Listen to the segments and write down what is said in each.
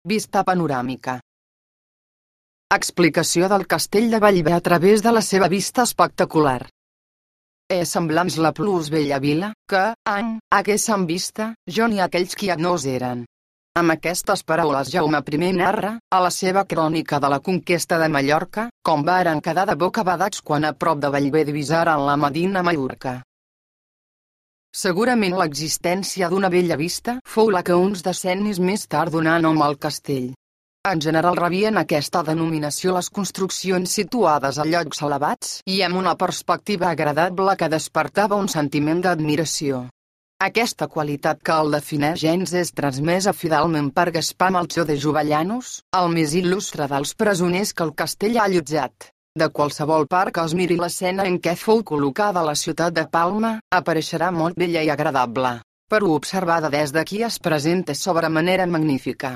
Vista panoràmica. Explicació del castell de Bellver a través de la seva vista espectacular. És semblants la plus bella vila, que, haguéssim vista, jo ni aquells qui nos eren. Amb aquestes paraules Jaume I narra, a la seva crònica de la conquesta de Mallorca, com varen quedar de bocabadats quan a prop de Bellver divisaren la Medina Mallorca. Segurament l'existència d'una bella vista fou la que uns decennis més tard donà nom al castell. En general rebien aquesta denominació les construccions situades a llocs elevats i amb una perspectiva agradable que despertava un sentiment d'admiració. Aquesta qualitat que el defineix gens és transmesa fidelment per Gaspar Melchor de Jovellanos, el més il·lustre dels presoners que el castell ha allotjat. De qualsevol part que es miri l'escena en què fou col·locada la ciutat de Palma, apareixerà molt bella i agradable, però observada des d'aquí es presenta sobre manera magnífica.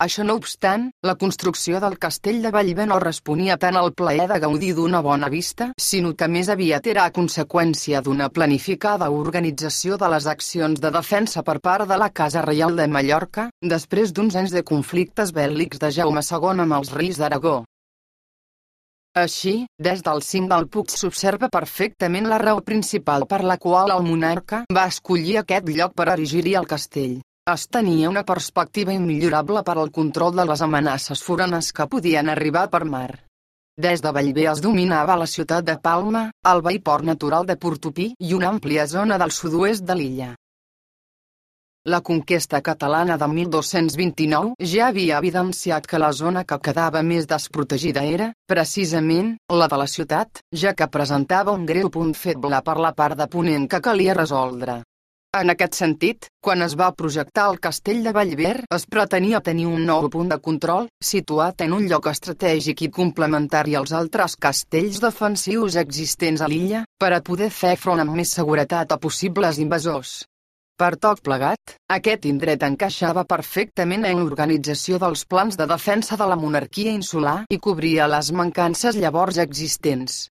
Això no obstant, la construcció del castell de Bellver no responia tant al plaer de gaudir d'una bona vista, sinó que més aviat era a conseqüència d'una planificada organització de les accions de defensa per part de la Casa Reial de Mallorca, després d'uns anys de conflictes bèl·lics de Jaume II amb els reis d'Aragó. Així, des del cim del Puig s'observa perfectament la raó principal per la qual el monarca va escollir aquest lloc per erigir-hi el castell. Es tenia una perspectiva immillorable per al control de les amenaces foranes que podien arribar per mar. Des de Bellver es dominava la ciutat de Palma, el veí port natural de Portopí i una àmplia zona del sud-oest de l'illa. La conquesta catalana de 1229 ja havia evidenciat que la zona que quedava més desprotegida era, precisament, la de la ciutat, ja que presentava un greu punt feble per la part de ponent que calia resoldre. En aquest sentit, quan es va projectar el castell de Bellver, es pretenia tenir un nou punt de control, situat en un lloc estratègic i complementari als altres castells defensius existents a l'illa, per a poder fer front amb més seguretat a possibles invasors. Per tot plegat, aquest indret encaixava perfectament en l'organització dels plans de defensa de la monarquia insular i cobria les mancances llavors existents.